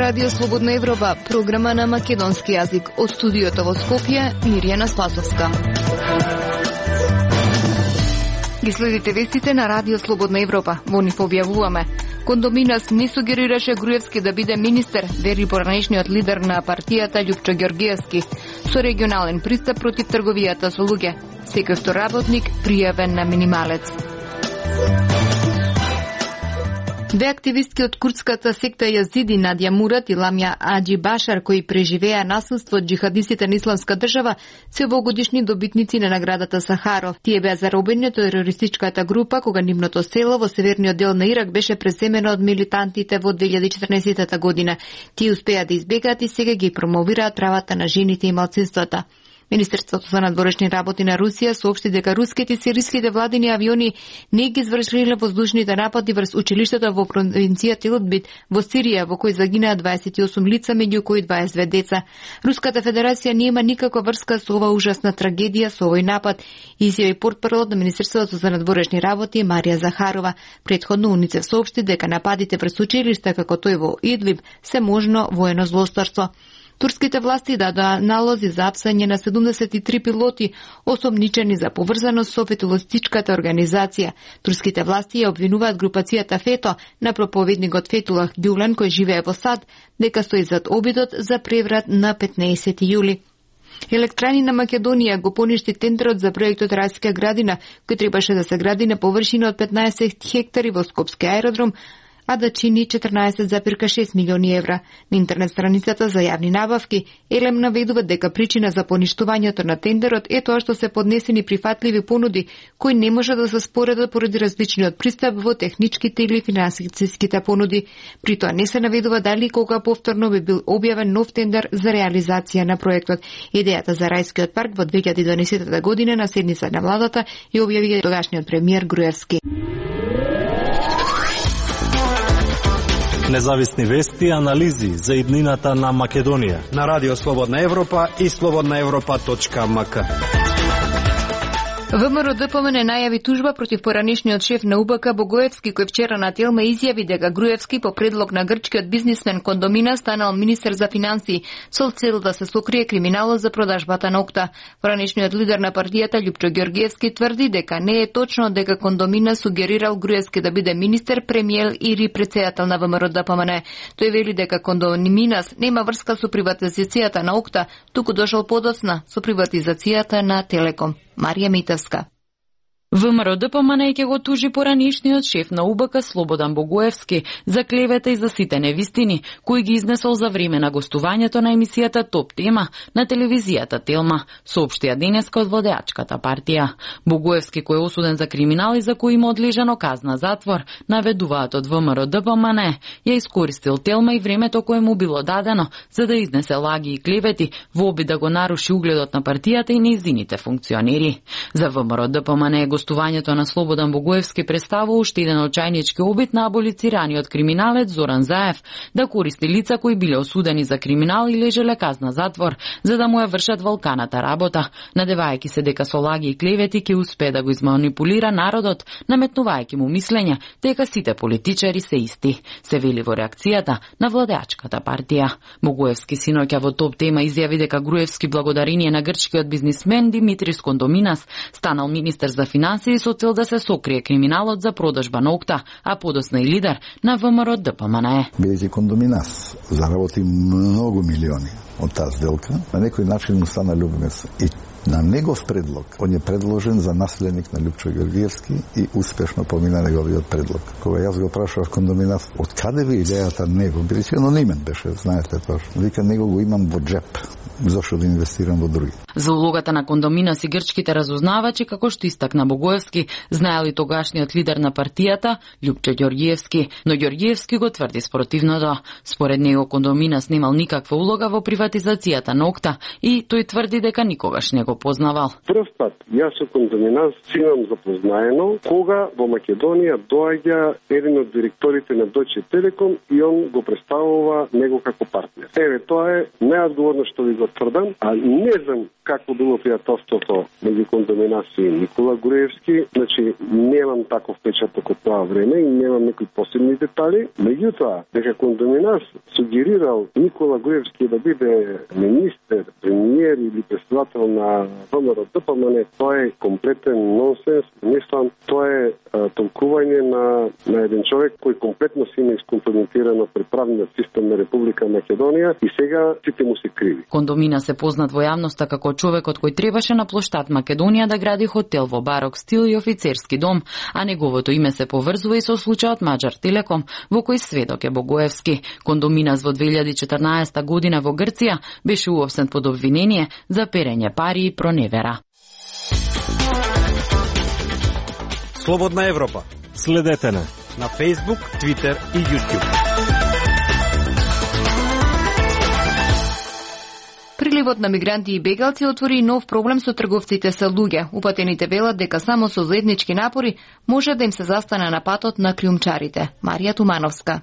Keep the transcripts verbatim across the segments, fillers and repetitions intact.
Радио Слободна Европа, програма на македонски јазик. Од студиото во Скопје, Мирјана Спасовска. Ги следите вестите на Радио Слободна Европа. Во нив објавуваме: Кондоминас не сугерираше Груевски да биде министер, вери поранешниот лидер на партијата Љупчо Ѓорѓиевски, со регионален пристап против трговијата со луѓе. Секој втор работник пријавен на минималец. Две активистки од курдската секта Јазиди, Надја Мурат и Ламја Аџи Башар, кои преживеа насилство од џихадистите на Исламска држава, се овогодишни добитници на наградата Сахаров. Тие беа заробени од терористичката група кога нивното село во северниот дел на Ирак беше преземено од милитантите во две илјади и четрнаесетта година. Тие успеа да избегаат и сега ги промовираат правата на жените и малцинствата. Министерството за надворешни работи на Русија соопшти дека руските и сириските владини авиони не ги извршиле воздушните напади врз училиштето во провинцијата Идлиб во Сирија, во кој загинаа дваесет и осум лица, меѓу кои дваесет и две деца. Руската федерација нема никаква врска со ова ужасна трагедија, со овој напад, изјави портпаролот на Министерството за надворешни работи Марија Захарова. Претходно УНИЦЕФ соопшти дека нападите врз училишта како тој во Идлиб се можно воено злосторство. Турските власти дадоа налози за апсање на седумдесет и три пилоти, осомничени за поврзаност со фетулистичката организација. Турските власти ја обвинуваат групацијата Фето на проповедникот Фетулах Гюлен, кој живее во САД, дека стои зад обидот за преврат на петнаесети јули. Електрани на Македонија го поништи тендерот за проектот Рајска градина, кој требаше да се гради на површина од петнаесет хектари во Скопски аеродром, а да чини четрнаесет зарез и шест милиони евра. На интернет страницата за јавни набавки Елем наведува дека причина за поништувањето на тендерот е тоа што се поднесени прифатливи понуди кои не може да се споредат поради различниот пристап во техничките или финансиските понуди. При тоа не се наведува дали кога повторно би бил објавен нов тендер за реализација на проектот. Идејата за Рајскиот парк во две илјади и дванаесетта година на седница на владата ја објави тогашниот премиер Груевски. Независни вести и анализи за иднината на Македонија на Радио Слободна Европа и слободна европа точка ем ка. ВМРО-ДПМН најави тужба против поранешниот шеф на УБК Богоевски, кој вчера на Телма изјави дека Груевски по предлог на грчкиот бизнисмен Кондомина станал министер за финансии со цел да се сокрие криминалот за продажбата на Окта. Поранешниот лидер на партијата Љупчо Ѓорѓиевски тврди дека не е точно дека Кондомина сугерирал Груевски да биде министер, премиер или председател на ВМРО-ДПМН. Тој вели дека Кондоминас нема врска со приватизацијата на Окта, туку дошол подоцна со приватизацијата на Телеком. Марија Митевска. ВМРО-ДПМН ќе го тужи поранишниот шеф на УБК Слободан Богоевски за клевета и за сите невистини кои ги изнесол за време на гостувањето на емисијата Топ тема на телевизијата Телма, соопштија денеска од владеачката партија. Богоевски, кој е осуден за криминал и за кој има одлежано казна затвор, наведуваат од ВМРО-ДПМН, ја искористил Телма и времето кое му било дадено за да изнесе лаги и клевети во обид да го наруши угледот на партијата и нејзините функционери. За ВМРО-ДПМН е гостувањето на Слободан Богоевски представува уште еден очајнички обид на аболицираниот криминалец Зоран Заев да користи лица кои биле осудени за криминал и лежеле казна затвор, за да му ја вршат валканата работа, надевајќи се дека со лаги и клевети ќе успее да го изманипулира народот, наметнувајќи му мислење дека сите политичари се исти, се вели во реакцијата на владеачката партија. Богоевски синоќа во Топ тема изјави дека Груевски благодарение на грчкиот бизнисмен Димитрис Кондоминас станал министер за финансии со цел да се сокрие криминалот за продажба на Окта, а подосна и лидер на ВМРО-ДПМН. Бидејќи Кондоминас заработи многу милиони од таа сделка, на некој начин му стана љубимец. И на негов предлог, он е предложен за наследник на Љупчо Ѓорѓиевски и успешно помина неговиот предлог. Кога јас го прашав Кондоминас, од каде ви идејата него, бидејќи анонимен беше, знаете тоа. Вика, него го имам во джеп. Зошто да инвестирам во други? За улогата на Кондоминас и грчките разузнавачи, како што истакна Богоевски, знаели тогашниот лидер на партијата Љупчо Ѓорѓиевски, но Ѓорѓиевски го тврди спротивното. Според него Кондоминас немал никаква улога во приватизацијата на Окта и тој тврди дека никогаш не го го познавал. Прв пат јас со Кондоминас имам запознаено кога во Македонија доаѓа еден од директорите на Deutsche Telekom и он го представува него како партнер. Еве, тоа е неодговорно што ви го тврдам, а не знам како било пријателството меѓу Кондоминас и Никола Груевски, значи немам таков печаток од тоа време и немам некои посебни детали. Меѓутоа, дека Кондоминас сугерирал Никола Груевски да биде министер, премиер или председател на ВМРО Д П М Н, тоа е комплетен нонсенс. Мислам, тоа е а, толкување на, на еден човек кој комплетно си не искомпрометирано пред правниот систем на Република Македонија и сега сите му се криви. Кондоминас се познат во јавноста како човекот кој требаше на плоштад Македонија да гради хотел во барок стил и офицерски дом, а неговото име се поврзува и со случајот Маđar Телеком, во кој сведок е Богоевски. Кондоминас во две илјади и четрнаесета година во Грција беше уопсен под обвинение за перење пари и проневера. Слободна Европа. Следете не на Facebook, Twitter и YouTube. Приливот на мигранти и бегалци отвори нов проблем со трговците со луѓе. Упатените велат дека само со заеднички напори може да им се застане на патот на криумчарите. Марија Тумановска.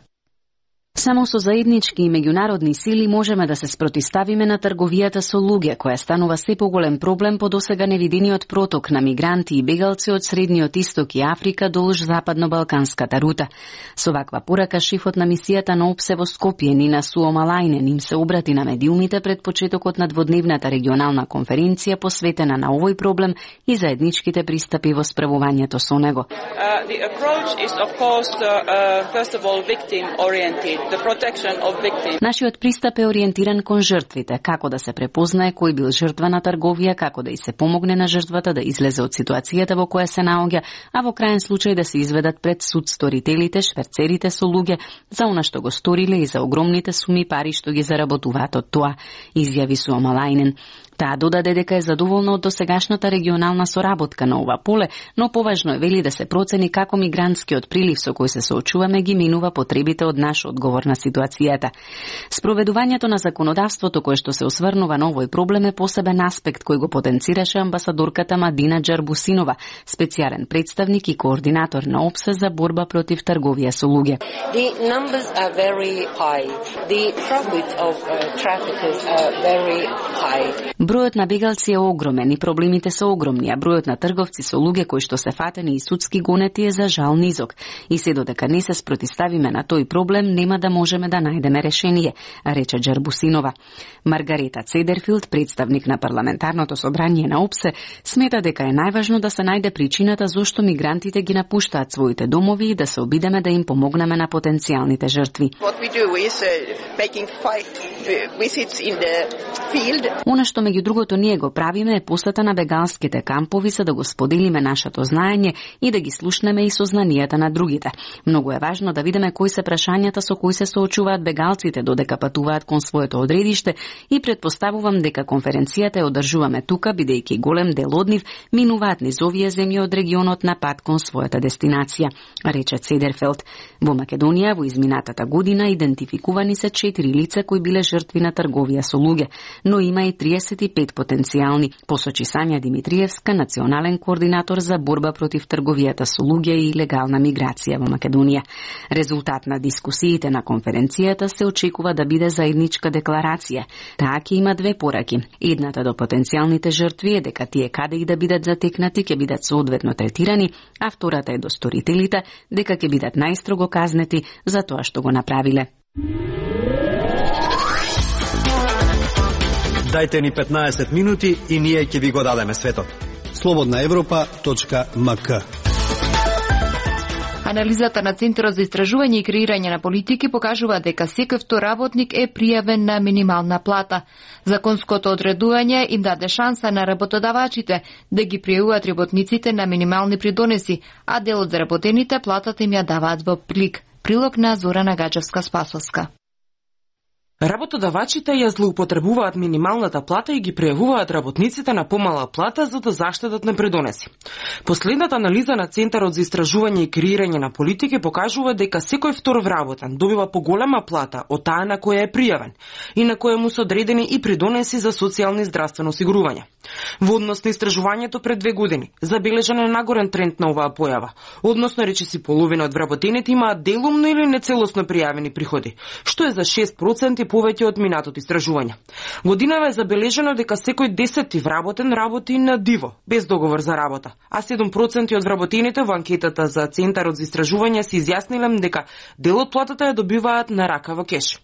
Само со заеднички и меѓународни сили можеме да се спротиставиме на трговијата со луѓе, која станува се поголем проблем по досега невидениот проток на мигранти и бегалци од Средниот Исток и Африка долж западно-балканската рута. Со ваква порака шефот на мисијата на ОПСЕ во Скопје Нина Суомалајнен им се обрати на медиумите пред почетокот на дводневната регионална конференција посветена на овој проблем и заедничките пристапи во справувањето со него. Uh, the approach is of course uh, uh, first of all victim oriented. The protection of victims. Нашиот пристап е ориентиран кон жртвите, како да се препознае кој бил жртва на трговија, како да и се помогне на жртвата да излезе од ситуацијата во која се наоѓа, а во крајен случај да се изведат пред суд сторителите, шверцерите со луѓе за она што го сториле и за огромните суми пари што ги заработуваат од тоа, изјави Суомалајнен. Таа додаде дека е задоволна од досегашната регионална соработка на ова поле, но поважно е вели да се процени како мигрантскиот прилив со кој се соочуваме ги минува потребите од наш одговор на ситуацијата. Спроведувањето на законодавството кое што се осврнува на овој проблем е посебен аспект кој го потенцираше амбасадорката Мадина Джарбусинова, специјален представник и координатор на ОПСЕ за борба против трговија со луѓе. The numbers are very high. The profits of uh, traffickers are very high. Бројот на бегалци е огромен и проблемите се огромни, а бројот на трговци со луѓе кои што се фатени и судски гонети е за жал низок. И се додека не се спротиставиме на тој проблем, нема да можеме да најдеме решение, рече Джарбусинова. Маргарета Цедерфилд, представник на парламентарното собрание на ОПСЕ, смета дека е најважно да се најде причината зошто мигрантите ги напуштаат своите домови и да се обидеме да им помогнеме на потенцијалните жртви. Она што меѓу другото ние го правиме е посета на бегалските кампови за да го споделиме нашето знаење и да ги слушнеме и сознанијата на другите. Многу е важно да видиме кои се прашањата со кои се соочуваат бегалците додека патуваат кон своето одредиште и претпоставувам дека конференцијата ја одржуваме тука бидејќи голем дел од нив минуваат низ овие земји од регионот на пат кон својата дестинација, рече Цедерфелд. Во Македонија во изминатата година идентификувани се четири лица кои биле жртви на трговија со луѓе, но има и триесет и пет потенцијални, посочи Сања Димитриевска, национален координатор за борба против трговијата со луѓе и легална миграција во Македонија. Резултат на дискусиите на конференцијата се очекува да биде заедничка декларација. Таа ќе има две пораки. Едната до потенцијалните жртви е дека тие каде и да бидат затекнати ќе бидат соодветно третирани, а втората е до сторителите дека ќе бидат најстрого казнети за тоа што го направиле. Дајте ни петнаесет минути и ние ќе ви го дадеме светот. слободна европа точка ем ка. Анализата на Центарот за истражување и креирање на политики покажува дека секој втор работник е пријавен на минимална плата. Законското одредување им даде шанса на работодавачите да ги пријавуваат работниците на минимални придонеси, а дел од заработените платата им ја даваат во плик. Прилог на Зорана Гаџевска-Спасовска. Работодавачите ја злоупотребуваат минималната плата и ги пријавуваат работниците на помала плата за да заштедат непредонеси. Последната анализа на Центарот за истражување и креирање на политики покажува дека секој втор вработен добива поголема плата од таа на која е пријавен и на која му се одредени и придонеси за социјално и здравствено осигурување. Во однос на истражувањето пред две години, забележан е нагорен тренд на оваа појава, односно речиси половина од вработените имаат делумно или нецелосно пријавени приходи, што е за шест проценти повеќе од минатото истражување. Годинава е забележено дека секој десети вработен работи на диво, без договор за работа, а седум проценти од вработените во анкетата за Центарот за истражување се изјасниле дека дел од платата ја добиваат на рака во кеш.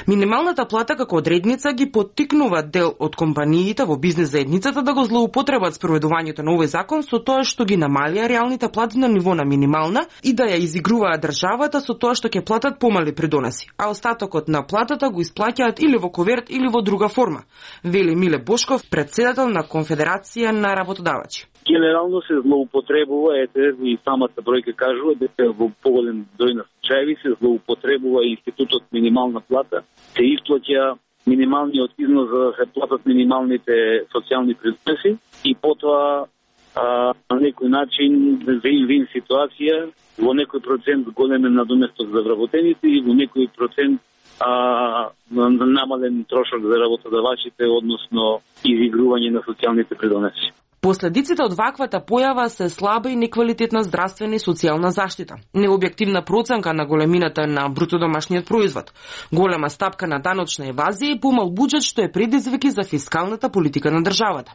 Минималната плата како одредница ги поттикнува дел од компаниите во бизнес заедницата да го злоупотребат спроведувањето на овој закон со тоа што ги намалија реалните плати на ниво на минимална и да ја изигруваат државата со тоа што ќе платат помали придонеси, а остатокот на платата го исплаќаат или во коверт или во друга форма, вели Миле Бошков, председател на Конфедерација на работодавачи. Генерално се злоупотребува, ете и самата бројка кажува дека во поголем број на случаеви се злоупотребува институтот минимална плата, се исплаќа минималниот износ за да се платат минималните социјални придонеси и потоа а, на некој начин вин-вин ситуација, во некој процент големен надоместок за вработените и во некој процент а, намален трошок за работодавачите, односно изигрување на социјалните придонеси. Последиците од ваквата појава се слаба и неквалитетна здравствена и социјална заштита, необјективна проценка на големината на брутодомашниот производ, голема стапка на даночна евазија и помал буџет што е предизвик за фискалната политика на државата.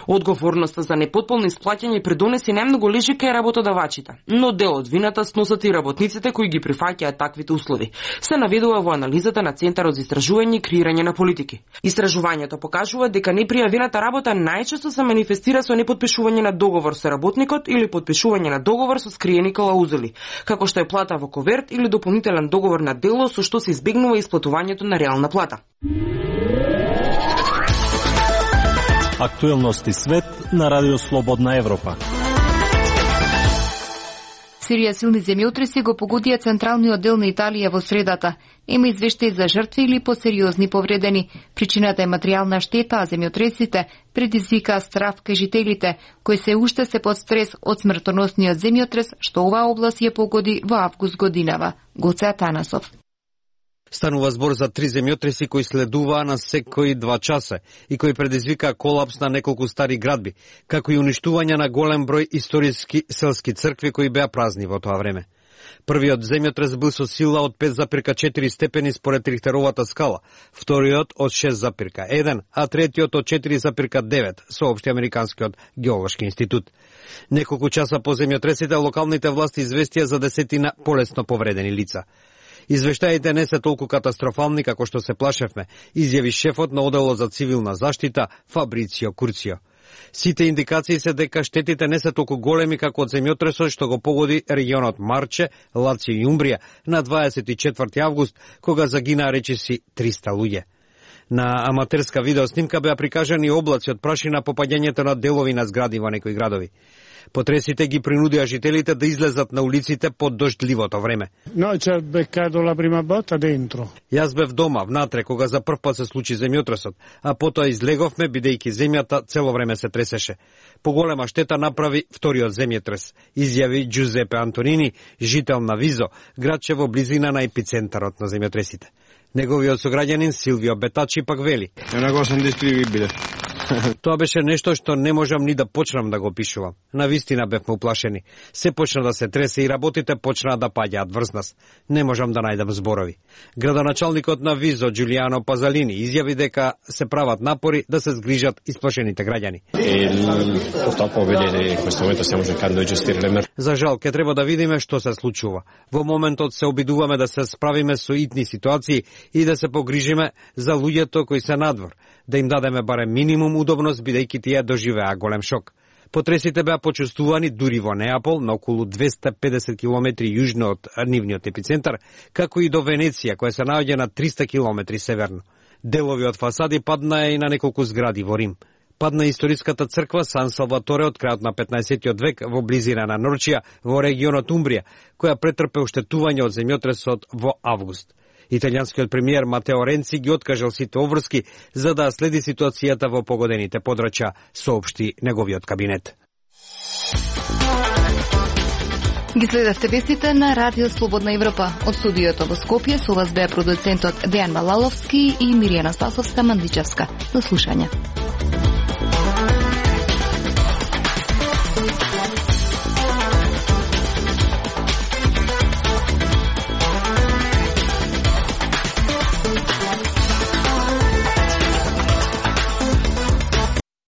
Одговорноста за непотполно исплаќање придонеси најмногу лежи кај работодавачите, но дел од вината сносат и работниците кои ги прифаќаат таквите услови, се наведува во анализата на Центарот за истражување и креирање на политики. Истражувањето покажува дека непријавената работа најчесто се манифестира со непотпишување на договор со работникот или потпишување на договор со скриени клаузули, како што е плата во коверт или дополнителен договор на дело со што се избегнува исплатувањето на реална плата. Актуелности свет на Радио Слободна Европа. Сирија силни земјотреси го погодија централниот дел на Италија во средата. Има извештаи за жртви или посериозни повредени. Причината е материјална штета, а земјотресите предизвикаа страв кај жителите, кои се уште се под стрес од смртоносниот земјотрес, што оваа област ја погоди во август годинава. Гоце Атанасов. Станува збор за три земјотреси кои следуваа на секои два часа и кои предизвикаа колапс на неколку стари градби, како и уништување на голем број историски селски цркви кои беа празни во тоа време. Првиот земјотрес бил со сила од пет запирка четири степени според Рихтеровата скала, вториот од шест запирка еден, а третиот од четири запирка девет, соопшти Американскиот геолошки институт. Неколку часа по земјотресите локалните власти известија за десетина полесно повредени лица. Извештаите не се толку катастрофални како што се плашевме, изјави шефот на оделот за цивилна заштита Фабрицио Курцио. Сите индикации се дека штетите не се толку големи како од земјотресот што го погоди регионот Марче, Лацио и Умбрија на дваесет и четврти август, кога загинаа речиси триста луѓе. На аматерска видеоснимка беа прикажани облаци од прашина по паѓањето на делови на згради во некои градови. Потресите ги принудија жителите да излезат на улиците под дождливото време. Noi ci ha beccato la prima botta dentro. Јас бев дома внатре кога за прв пат се случи земјотресот, а потоа излеговме бидејќи земјата цело време се тресеше. Поголема штета направи вториот земјотрес, изјави Джузепе Антонини, жител на Визо, градче во близина на епицентарот на земјотресите. Неговиот сограѓанин Силвио Бетачи пак вели: Е una cosa indescrivibile. Тоа беше нешто што не можам ни да почнам да го опишувам. Навистина бевме уплашени. Се почна да се тресе и работите почнаа да паѓаат врз нас. Не можам да најдам зборови. Градоначалникот на Визо, Џулијано Пазалини, изјави дека се прават напори да се згрижат исплашените граѓани. За жал, ке треба да видиме што се случува. Во моментот се обидуваме да се справиме со итни ситуации и да се погрижиме за луѓето кои се надвор, да им дадеме барем минимум удобност, бидејќи тие доживеа голем шок. Потресите беа почувствувани дури во Неапол, на околу двесте и педесет километри јужно од нивниот епицентар, како и до Венеција, која се наоѓа на триста километри северно. Делови од фасади паднаа и на неколку згради во Рим. Падна историската црква Сан Салваторе од крајот на петнаесеттиот век во близина на Норчија, во регионот Умбрија, која претрпе оштетување од земјотресот во август. Италијанскиот премиер Матео Ренци ги откажал сите обврски за да следи ситуацијата во погодените подрачја, соопшти неговиот кабинет. Ги следевте вестите на Радио Слободна Европа. Од студиото во Скопје со вас беа продуцентот Дејан Малаловски и Миријана Спасовска Мандичевска. До слушање.